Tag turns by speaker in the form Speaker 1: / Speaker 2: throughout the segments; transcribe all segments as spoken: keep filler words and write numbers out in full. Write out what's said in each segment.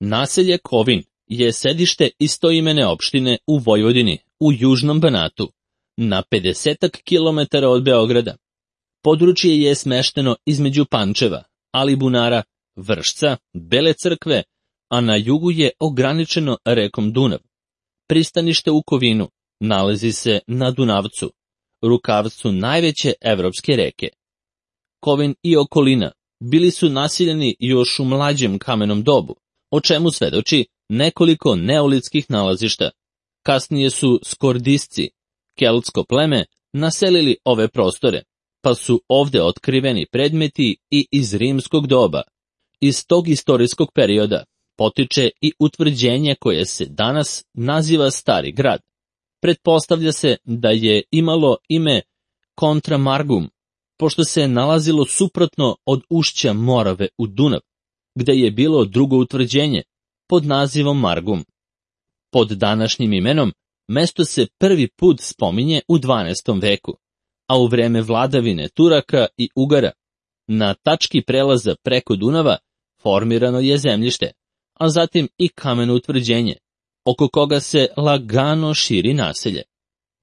Speaker 1: Naselje Kovin je sedište istoimene opštine u Vojvodini, u Južnom Banatu, na pedesetak kilometara od Beograda. Područje je smešteno između Pančeva, Alibunara, Vršca, Bele Crkve, a na jugu je ograničeno rekom Dunav. Pristanište u Kovinu nalazi se na Dunavcu, rukavcu najveće evropske reke. Kovin i okolina bili su naseljeni još u mlađem kamenom dobu, o čemu svedoči nekoliko neolitskih nalazišta. Kasnije su skordisci, keltsko pleme, naselili ove prostore, pa su ovde otkriveni predmeti i iz rimskog doba. Iz tog istorijskog perioda potiče i utvrđenje koje se danas naziva Stari grad. Pretpostavlja se da je imalo ime Contra Margum, pošto se nalazilo suprotno od ušća Morave u Dunav, gde je bilo drugo utvrđenje pod nazivom Margum. Pod današnjim imenom mesto se prvi put spominje u dvanaestom veku, a u vreme vladavine Turaka i Ugara na tački prelaza preko Dunava formirano je zemljište, a zatim i kameno utvrđenje, oko koga se lagano širi naselje.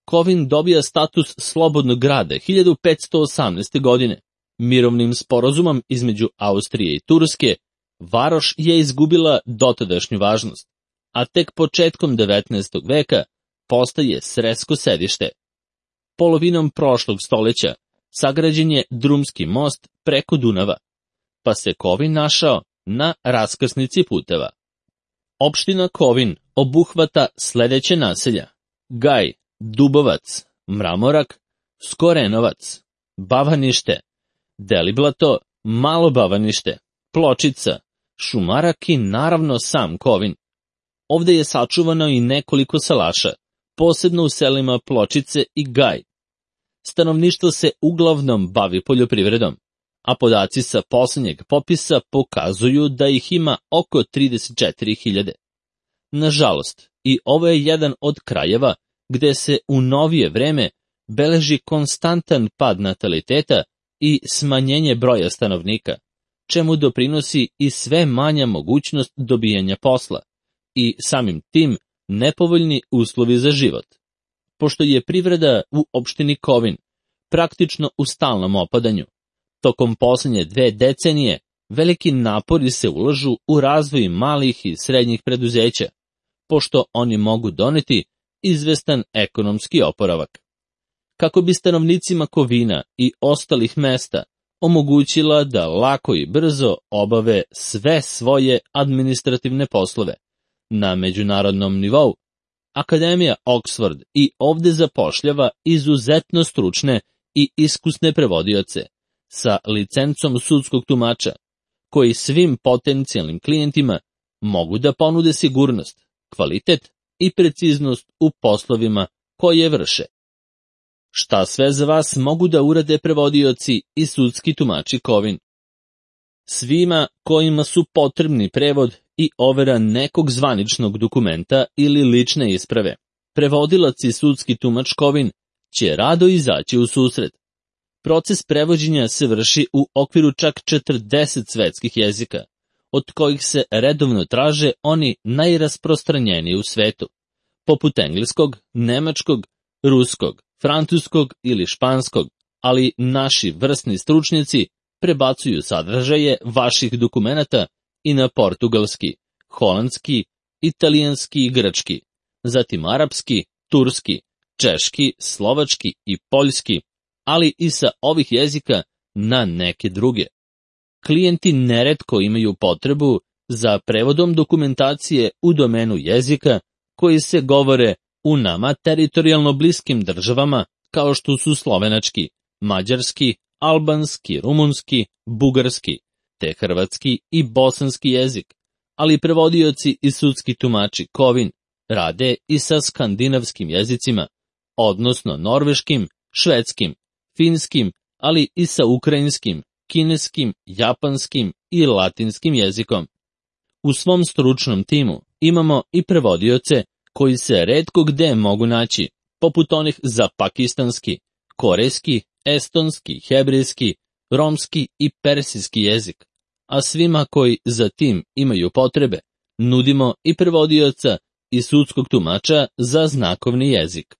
Speaker 1: Kovin dobija status slobodnog grada hiljadu petsto osamnaeste. godine. Mirovnim sporazumom između Austrije i Turske varoš je izgubila dotadašnju važnost, a tek početkom devetnaestog. veka postaje sresko sedište. Polovinom prošlog stoljeća sagrađen je drumski most preko Dunava, pa se Kovin našao na raskrsnici puteva. Opština Kovin obuhvata sledeće naselja: Gaj, Dubovac, Mramorak, Skorenovac, Bavanište, Deliblato, Malo Bavanište, Pločica, Šumarak i naravno sam Kovin. Ovde je sačuvano i nekoliko salaša, posebno u selima Pločice i Gaj. Stanovništvo se uglavnom bavi poljoprivredom, a podaci sa poslednjeg popisa pokazuju da ih ima oko trideset četiri hiljade. Nažalost, i ovo je jedan od krajeva gde se u novije vreme beleži konstantan pad nataliteta i smanjenje broja stanovnika, čemu doprinosi i sve manja mogućnost dobijanja posla i samim tim nepovoljni uslovi za život. Pošto je privreda u opštini Kovin praktično u stalnom opadanju, tokom poslednje dve decenije veliki napori se ulažu u razvoj malih i srednjih preduzeća, pošto oni mogu doneti izvestan ekonomski oporavak. Kako bi stanovnicima Kovina i ostalih mesta omogućila da lako i brzo obave sve svoje administrativne poslove na međunarodnom nivou, Akademija Oxford i ovde zapošljava izuzetno stručne i iskusne prevodioce sa licencom sudskog tumača, koji svim potencijalnim klijentima mogu da ponude sigurnost, kvalitet i preciznost u poslovima koje vrše. Šta sve za vas mogu da urade prevodioci i sudski tumači Kovin? Svima kojima su potrebni prevod i overa nekog zvaničnog dokumenta ili lične isprave, prevodilac i sudski tumač Kovin će rado izaći u susret. Proces prevođenja se vrši u okviru čak četrdeset svetskih jezika, od kojih se redovno traže oni najrasprostranjeniji u svetu, poput engleskog, nemačkog, ruskog, francuskog ili španskog, ali naši vrsni stručnjaci prebacuju sadržaje vaših dokumenata i na portugalski, holandski, italijanski i grčki, zatim arapski, turski, češki, slovački i poljski, ali i sa ovih jezika na neke druge. Klijenti neretko imaju potrebu za prevodom dokumentacije u domenu jezika koji se govore u nama teritorijalno bliskim državama kao što su slovenački, mađarski, albanski, rumunski, bugarski, te hrvatski i bosanski jezik, ali prevodioci i sudski tumači Kovin rade i sa skandinavskim jezicima, odnosno norveškim, švedskim, finskim, ali i sa ukrajinskim, kineskim, japanskim i latinskim jezikom. U svom stručnom timu imamo i prevodioce koji se retko gde mogu naći, poput onih za pakistanski, korejski, estonski, hebrejski, romski i persijski jezik, a svima koji za tim imaju potrebe Nudimo i prevodioca i sudskog tumača za znakovni jezik.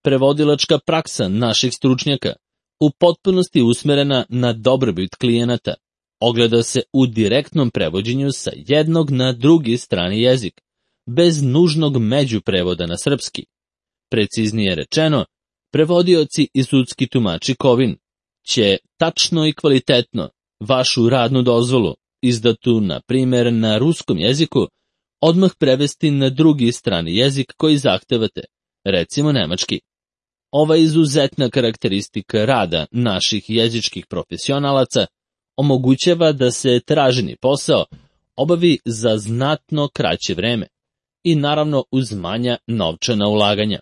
Speaker 1: Prevodilačka praksa naših stručnjaka, u potpunosti usmerena na dobrobit klijenata, ogleda se u direktnom prevođenju sa jednog na drugi strani jezik, bez nužnog međuprevoda na srpski. Preciznije rečeno, prevodioci i sudski tumači Kovin će tačno i kvalitetno vašu radnu dozvolu, izdatu na primjer na ruskom jeziku, odmah prevesti na drugi strani jezik koji zahtevate, recimo nemački. Ova izuzetna karakteristika rada naših jezičkih profesionalaca omogućava da se traženi posao obavi za znatno kraće vreme i naravno uz manja novčana ulaganja.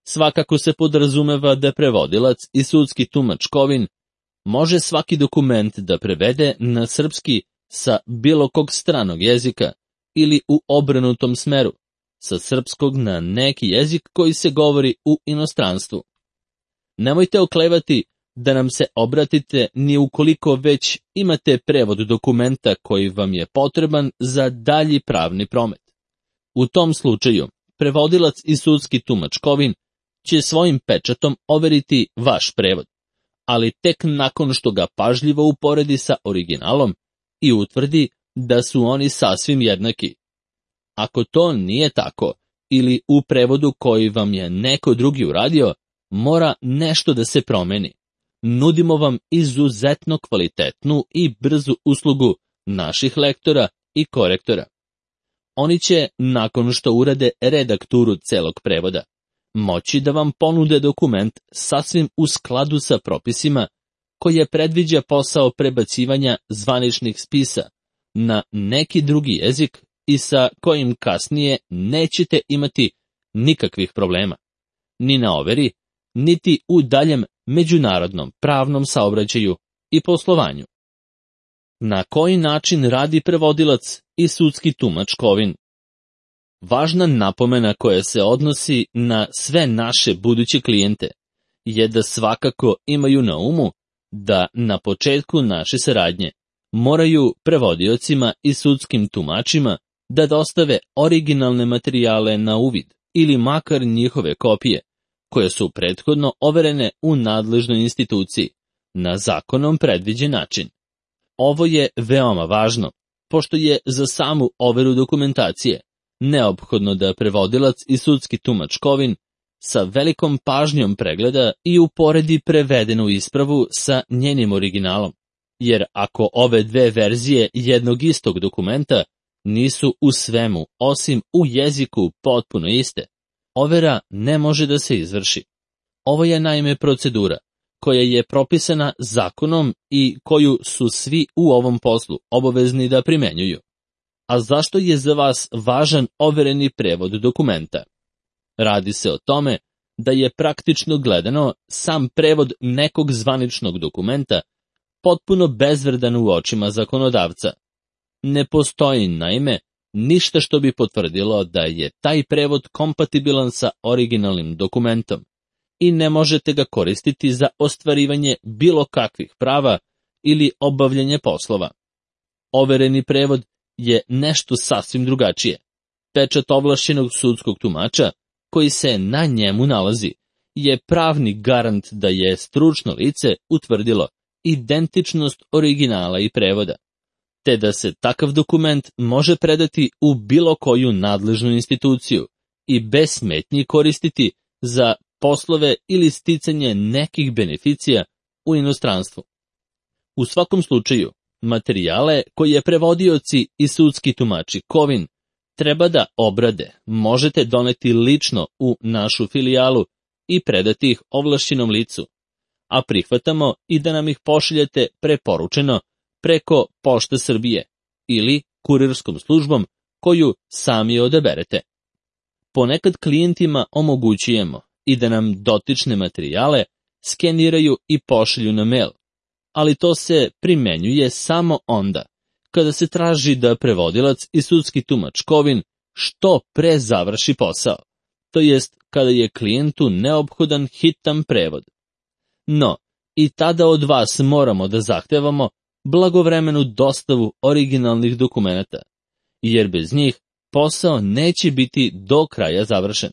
Speaker 1: Svakako se podrazumeva da prevodilac i sudski tumač Kovin može svaki dokument da prevede na srpski sa bilo kog stranog jezika ili u obrnutom smeru, sa srpskog na neki jezik koji se govori u inostranstvu. Nemojte oklevati da nam se obratite ni ukoliko već imate prevod dokumenta koji vam je potreban za dalji pravni promet. U tom slučaju, prevodilac i sudski tumač Kovin će svojim pečatom overiti vaš prevod, ali tek nakon što ga pažljivo uporedi sa originalom i utvrdi da su oni sasvim jednaki. Ako to nije tako, ili u prevodu koji vam je neko drugi uradio, mora nešto da se promeni. Nudimo vam izuzetno kvalitetnu i brzu uslugu naših lektora i korektora. Oni će, nakon što urade redakturu celog prevoda, moći da vam ponude dokument sasvim u skladu sa propisima koje predviđa posao prebacivanja zvaničnih spisa na neki drugi jezik i sa kojim kasnije nećete imati nikakvih problema, ni na overi, niti u daljem međunarodnom pravnom saobraćaju i poslovanju. Na koji način radi prevodilac i sudski tumač Kovin? Važna napomena koja se odnosi na sve naše buduće klijente je da svakako imaju na umu da na početku naše saradnje moraju prevodiocima i sudskim tumačima da dostave originalne materijale na uvid ili makar njihove kopije, koje su prethodno overene u nadležnoj instituciji na zakonom predviđen način. Ovo je veoma važno, pošto je za samu overu dokumentacije neophodno da prevodilac i sudski tumač Kovin sa velikom pažnjom pregleda i uporedi prevedenu ispravu sa njenim originalom, jer ako ove dve verzije jednog istog dokumenta nisu u svemu, osim u jeziku, potpuno iste, overa ne može da se izvrši. Ovo je naime procedura koja je propisana zakonom i koju su svi u ovom poslu obavezni da primenjuju. A zašto je za vas važan overeni prevod dokumenta? Radi se o tome da je praktično gledano sam prevod nekog zvaničnog dokumenta potpuno bezvredan u očima zakonodavca. Ne postoji, naime, ništa što bi potvrdilo da je taj prevod kompatibilan sa originalnim dokumentom i ne možete ga koristiti za ostvarivanje bilo kakvih prava ili obavljanje poslova. Overeni prevod je nešto sasvim drugačije. Pečat ovlašćenog sudskog tumača, koji se na njemu nalazi, je pravni garant da je stručno lice utvrdilo identičnost originala i prevoda, te da se takav dokument može predati u bilo koju nadležnu instituciju i bez smetnji koristiti za poslove ili sticanje nekih beneficija u inostranstvu. U svakom slučaju, materijale koje prevodioci i sudski tumači Kovin treba da obrade možete doneti lično u našu filijalu i predati ih ovlašćenom licu, a prihvatamo i da nam ih pošaljete preporučeno preko Pošte Srbije ili kurirskom službom koju sami odaberete. Ponekad klijentima omogućujemo i da nam dotične materijale skeniraju i pošalju na mail, ali to se primenjuje samo onda kada se traži da prevodilac i sudski tumač Kovin što pre završi posao, to jest kada je klijentu neophodan hitan prevod. No, i tada od vas moramo da zahtevamo blagovremenu dostavu originalnih dokumenata, jer bez njih posao neće biti do kraja završen.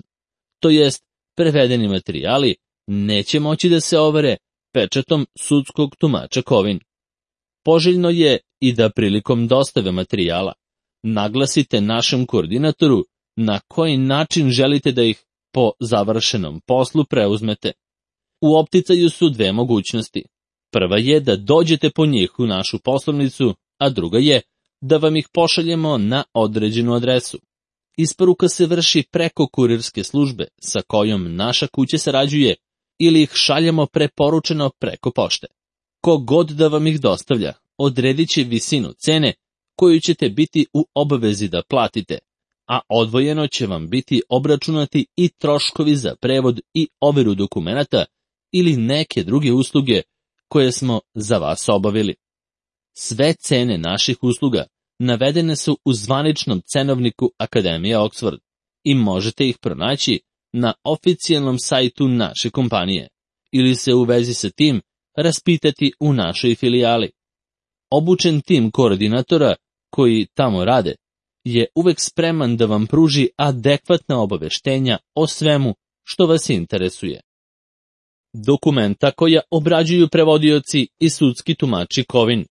Speaker 1: To jest, prevedeni materijali neće moći da se overe pečatom sudskog tumača Kovin. Poželjno je i da prilikom dostave materijala naglasite našem koordinatoru na koji način želite da ih po završenom poslu preuzmete. U opticaju su dve mogućnosti. Prva je da dođete po njih u našu poslovnicu, a druga je da vam ih pošaljemo na određenu adresu. Isporuka se vrši preko kurirske službe sa kojom naša kuća sarađuje ili ih šaljemo preporučeno preko pošte. Ko god da vam ih dostavlja, odredit će visinu cene koju ćete biti u obavezi da platite, a odvojeno će vam biti obračunati i troškovi za prevod i overu dokumenata ili neke druge usluge koje smo za vas obavili. Sve cene naših usluga navedene su u zvaničnom cenovniku Akademije Oxford i možete ih pronaći na oficijalnom sajtu naše kompanije ili se u vezi sa tim raspitati u našoj filijali. Obučen tim koordinatora koji tamo rade je uvek spreman da vam pruži adekvatna obaveštenja o svemu što vas interesuje. Dokumenta koja obrađuju prevodioci i sudski tumači Kovin.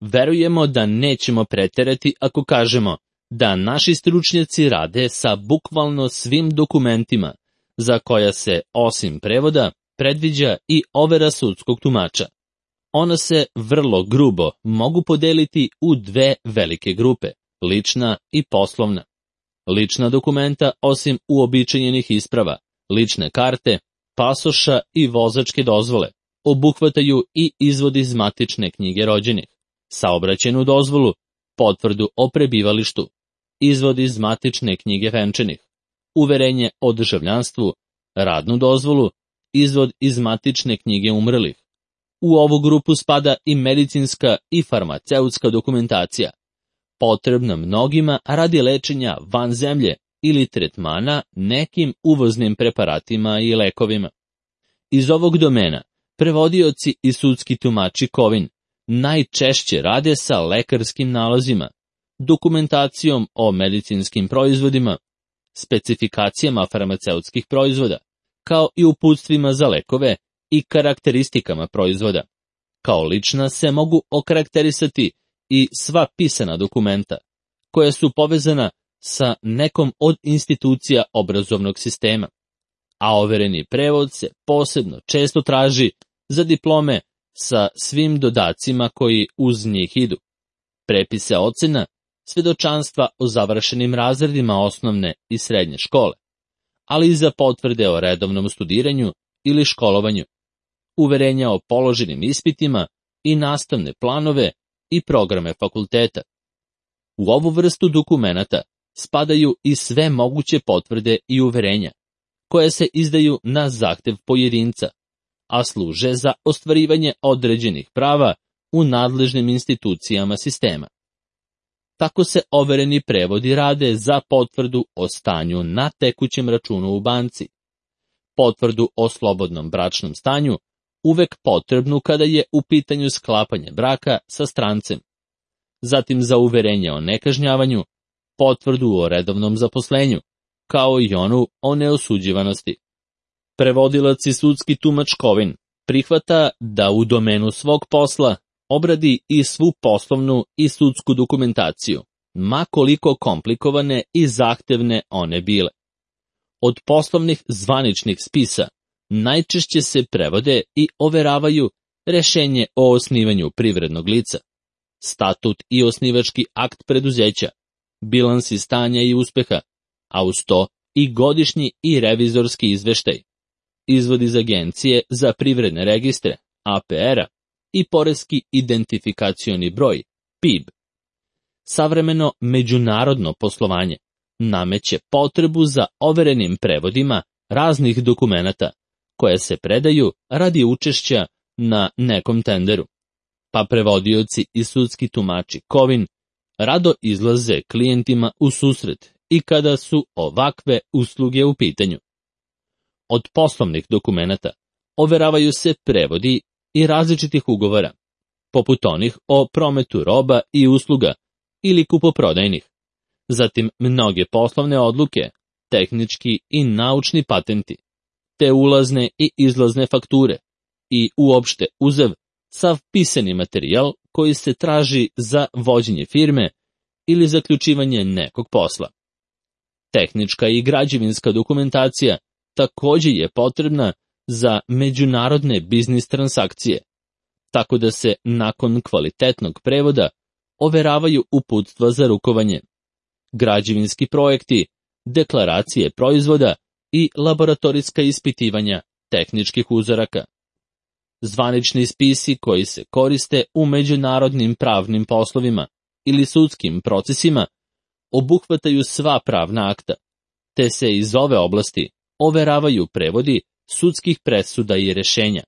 Speaker 1: Verujemo da nećemo preterati ako kažemo da naši stručnjaci rade sa bukvalno svim dokumentima za koja se, osim prevoda, predviđa i overa sudskog tumača. Ona se vrlo grubo mogu podeliti u dve velike grupe, lična i poslovna. Lična dokumenta, osim uobičajenih isprava, lične karte, pasoša i vozačke dozvole, obuhvataju i izvod iz matične knjige rođenih, saobraćajnu dozvolu, potvrdu o prebivalištu, izvod iz matične knjige venčanih, uverenje o državljanstvu, radnu dozvolu, izvod iz matične knjige umrlih. U ovu grupu spada i medicinska i farmaceutska dokumentacija, potrebna mnogima radi lečenja van zemlje ili tretmana nekim uvoznim preparatima i lekovima. Iz ovog domena prevodioci i sudski tumači Kovin najčešće rade sa lekarskim nalazima, dokumentacijom o medicinskim proizvodima, specifikacijama farmaceutskih proizvoda, kao i uputstvima za lekove i karakteristikama proizvoda. Kao lična se mogu okarakterisati i sva pisana dokumenta, koja su povezana sa nekom od institucija obrazovnog sistema, a overeni prevod se posebno često traži za diplome sa svim dodacima koji uz njih idu, prepise ocena, svedočanstva o završenim razredima osnovne i srednje škole, ali i za potvrde o redovnom studiranju ili školovanju, uverenja o položenim ispitima i nastavne planove i programe fakulteta. U ovu vrstu dokumenata spadaju i sve moguće potvrde i uverenja, koje se izdaju na zahtev pojedinca, a služe za ostvarivanje određenih prava u nadležnim institucijama sistema. Tako se overeni prevodi rade za potvrdu o stanju na tekućem računu u banci, potvrdu o slobodnom bračnom stanju, uvek potrebnu kada je u pitanju sklapanje braka sa strancem, zatim za uverenje o nekažnjavanju, potvrdu o redovnom zaposlenju, kao i onu o neosuđivanosti. Prevodilac i sudski tumač Kovin prihvata da u domenu svog posla obradi i svu poslovnu i sudsku dokumentaciju, ma koliko komplikovane i zahtevne one bile. Od poslovnih zvaničnih spisa najčešće se prevode i overavaju rešenje o osnivanju privrednog lica, statut i osnivački akt preduzeća, bilansi stanja i uspeha, a uz to i godišnji i revizorski izveštaj, izvod iz Agencije za privredne registre, A P R-a, i poreski identifikacioni broj, P I B. Savremeno međunarodno poslovanje nameće potrebu za overenim prevodima raznih dokumenata, koje se predaju radi učešća na nekom tenderu, pa prevodioci i sudski tumači Kovin rado izlaze klijentima u susret i kada su ovakve usluge u pitanju. Od poslovnih dokumenata overavaju se prevodi i različitih ugovora, poput onih o prometu roba i usluga ili kupoprodajnih. Zatim mnoge poslovne odluke, tehnički i naučni patenti, te ulazne i izlazne fakture i uopšte uzev sav pisani materijal koji se traži za vođenje firme ili zaključivanje nekog posla. Tehnička i građevinska dokumentacija također je potrebna za međunarodne biznis transakcije, tako da se nakon kvalitetnog prevoda overavaju uputstva za rukovanje, građevinski projekti, deklaracije proizvoda i laboratorijska ispitivanja tehničkih uzoraka. Zvanični spisi koji se koriste u međunarodnim pravnim poslovima ili sudskim procesima obuhvataju sva pravna akta, te se iz ove oblasti overavaju prevodi sudskih presuda i rješenja,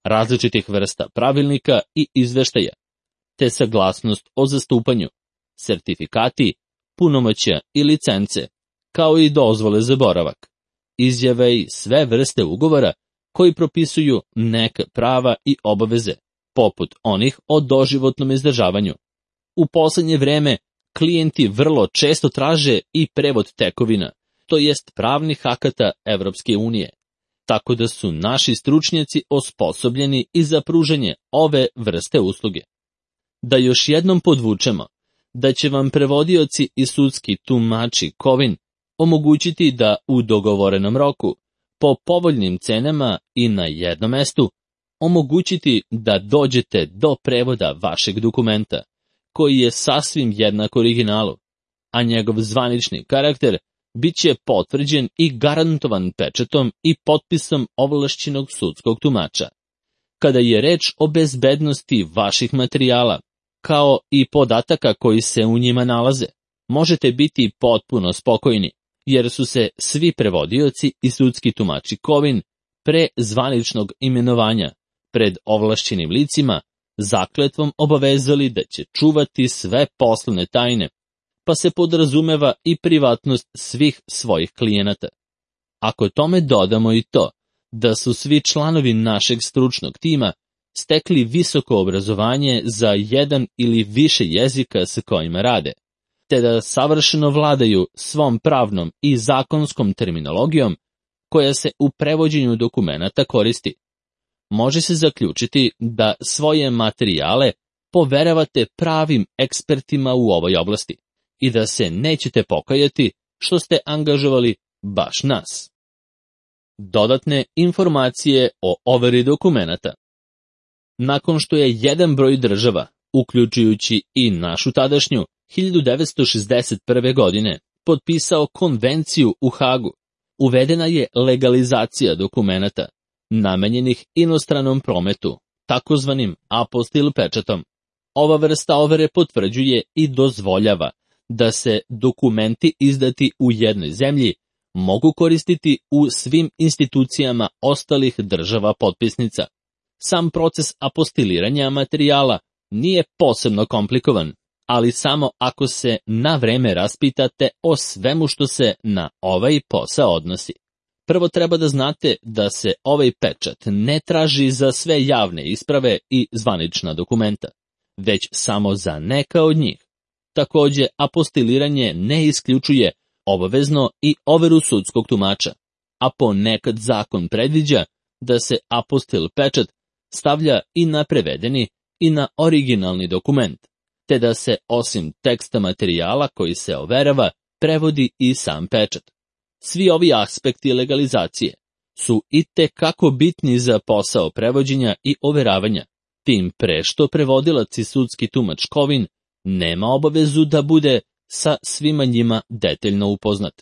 Speaker 1: različitih vrsta pravilnika i izveštaja, te saglasnost o zastupanju, sertifikati, punomoćja i licence, kao i dozvole za boravak, izjave i sve vrste ugovora koji propisuju neka prava i obaveze, poput onih o doživotnom izdržavanju. U posljednje vreme klijenti vrlo često traže i prevod tekovina, to jest pravnih akata Evropske unije, tako da su naši stručnjaci osposobljeni i za pružanje ove vrste usluge. Da još jednom podvučemo, da će vam prevodioci i sudski tumači kovin omogućiti da u dogovorenom roku, po povoljnim cenama i na jednom mestu, omogućiti da dođete do prevoda vašeg dokumenta, koji je sasvim jednak originalu, a njegov zvanični karakter bit će potvrđen i garantovan pečatom i potpisom ovlašćenog sudskog tumača. Kada je reč o bezbednosti vaših materijala, kao i podataka koji se u njima nalaze, možete biti potpuno spokojni, jer su se svi prevodioci i sudski tumači kovin pre zvaničnog imenovanja pred ovlašćenim licima zakletvom obavezali da će čuvati sve poslovne tajne, pa se podrazumeva i privatnost svih svojih klijenata. Ako tome dodamo i to da su svi članovi našeg stručnog tima stekli visoko obrazovanje za jedan ili više jezika sa kojima rade, te da savršeno vladaju svom pravnom i zakonskom terminologijom koja se u prevođenju dokumenata koristi, može se zaključiti da svoje materijale poveravate pravim ekspertima u ovoj oblasti i da se nećete pokajati što ste angažovali baš nas. Dodatne informacije o overi dokumenata. Nakon što je jedan broj država, uključujući i našu tadašnju, hiljadu devetsto šezdeset prve. godine potpisao konvenciju u Hagu, uvedena je legalizacija dokumenata namenjenih inostranom prometu, takozvanim apostil pečatom. Ova vrsta overe potvrđuje i dozvoljava da se dokumenti izdati u jednoj zemlji mogu koristiti u svim institucijama ostalih država potpisnica. Sam proces apostiliranja materijala nije posebno komplikovan, ali samo ako se na vreme raspitate o svemu što se na ovaj posao odnosi. Prvo treba da znate da se ovaj pečat ne traži za sve javne isprave i zvanična dokumenta, već samo za neka od njih. Također, apostiliranje ne isključuje obavezno i overu sudskog tumača, a ponekad zakon predviđa da se apostil pečat stavlja i na prevedeni i na originalni dokument, te da se osim teksta materijala koji se overava, prevodi i sam pečat. Svi ovi aspekti legalizacije su i te kako bitni za posao prevođenja i overavanja, tim pre što prevodilac i sudski tumač kovin nema obavezu da bude sa svima njima detaljno upoznat.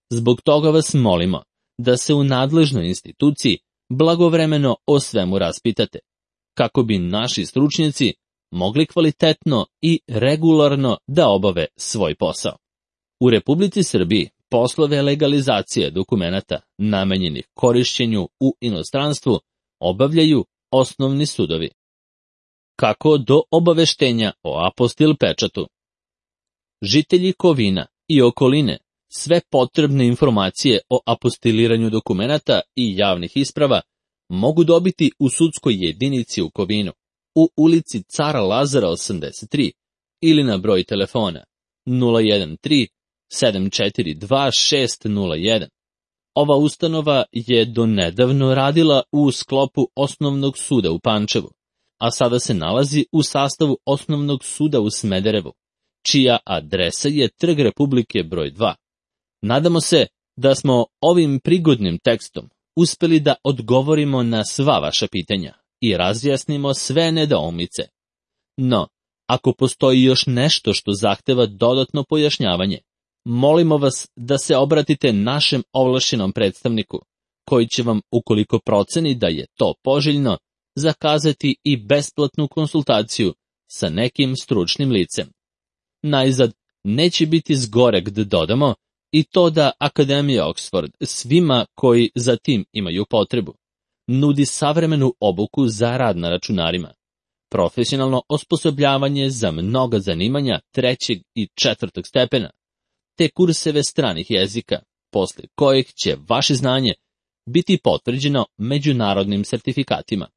Speaker 1: Zbog toga vas molimo da se u nadležnoj instituciji blagovremeno o svemu raspitate, kako bi naši stručnjaci mogli kvalitetno i regularno da obave svoj posao. U Republici Srbiji poslove legalizacije dokumenata namenjenih korišćenju u inostranstvu obavljaju osnovni sudovi. Kako do obaveštenja o apostil pečatu? Žitelji Kovina i okoline sve potrebne informacije o apostiliranju dokumenata i javnih isprava mogu dobiti u sudskoj jedinici u Kovinu, u ulici Cara Lazara osamdeset tri ili na broj telefona nula jedan tri sedam četiri dva šest nula jedan. Ova ustanova je donedavno radila u sklopu Osnovnog suda u Pančevu, a sada se nalazi u sastavu Osnovnog suda u Smederevu, čija adresa je Trg Republike broj dva. Nadamo se da smo ovim prigodnim tekstom uspeli da odgovorimo na sva vaša pitanja i razjasnimo sve nedoumice. No, ako postoji još nešto što zahteva dodatno pojašnjavanje, molimo vas da se obratite našem ovlašćenom predstavniku, koji će vam, ukoliko proceni da je to poželjno, zakazati i besplatnu konsultaciju sa nekim stručnim licem. Najzad, neće biti zgoreg da dodamo i to da Akademija Oxford svima koji za tim imaju potrebu nudi savremenu obuku za rad na računarima, profesionalno osposobljavanje za mnoga zanimanja trećeg i četvrtog stepena, te kurseve stranih jezika, posle kojih će vaše znanje biti potvrđeno međunarodnim sertifikatima.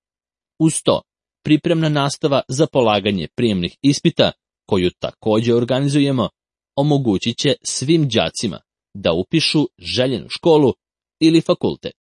Speaker 1: Uz to, pripremna nastava za polaganje prijemnih ispita, koju također organizujemo, omogućit će svim đacima da upišu željenu školu ili fakultet.